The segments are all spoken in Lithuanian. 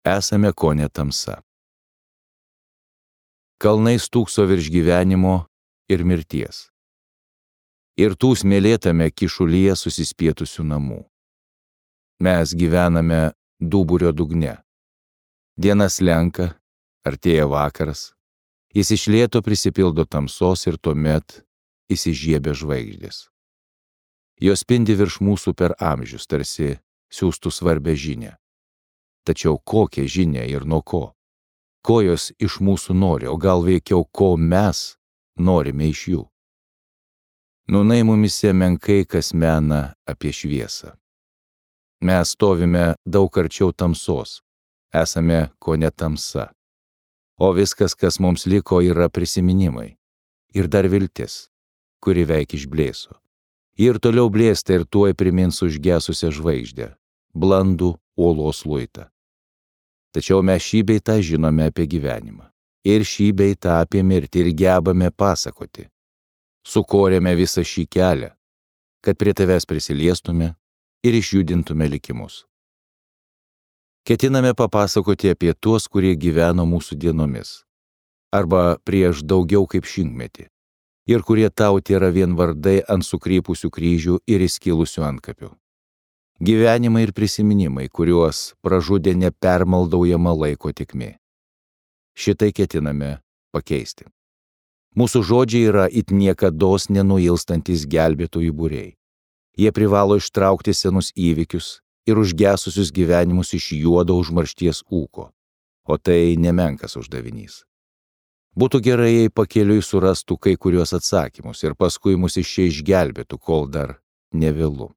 esame kone tamsa. Kalnai stūkso virš gyvenimo ir mirties. Ir tų smėlėtame kišulyje susispietusių namų. Mes gyvename duburio dugne. Diena slenka, artėja vakaras. Jis iš lėto prisipildo tamsos ir tuomet įsižiebia žvaigždės. Jos spindi virš mūsų per amžius, tarsi siųstų svarbę žinią. Tačiau kokią žinią ir nuo ko? Ko jos iš mūsų nori, o gal veikiau, ko mes norime iš jų? Nūnai mumise menkai kas mena apie šviesą. Mes stovime daug arčiau tamsos, esame kone tamsa. O viskas, kas mums liko, yra prisiminimai. Ir dar viltis, kuri veik išblėso. Ir toliau blėsta ir tuoj primins užgesusią žvaigždę, blandų uolos luitą. Tačiau mes šį bei tą žinome apie gyvenimą. Ir šį bei tą apie mirtį ir gebame pasakoti. Sukorėme visą šį kelią, kad prie tavęs prisiliestume ir išjudintume likimus. Ketiname papasakoti apie tuos, kurie gyveno mūsų dienomis, arba prieš daugiau kaip šimtmetį, ir kurie tau tėra vien vardai ant sukrypusių kryžių ir įskilusių antkapių. Gyvenimai ir prisiminimai, kuriuos pražudė nepermaldaujama laiko tėkmė. Šitai ketiname pakeisti. Mūsų žodžiai yra it niekados nenuilstantis gelbėtojų būriai. Jie privalo ištraukti senus įvykius ir užgesusius gyvenimus iš juodo užmaršties ūko, o tai nemenkas uždavinys. Būtų gerai, jei pakeliui surastų kai kuriuos atsakymus ir paskui mus iš čia išgelbėtų, kol dar nevėlu.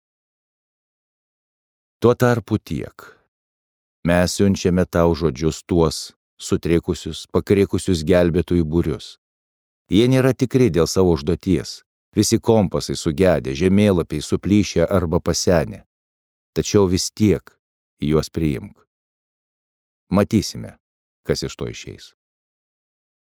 Tuo tarpu tiek. Mes siunčiame tau žodžius tuos sutrikusius, pakrikusius gelbėtojų būrius. Jie nėra tikri dėl savo užduoties, visi kompasai sugedę, žemėlapiai suplyšę arba pasenę. Tačiau vis tiek juos priimk. Matysime, kas iš to išeis.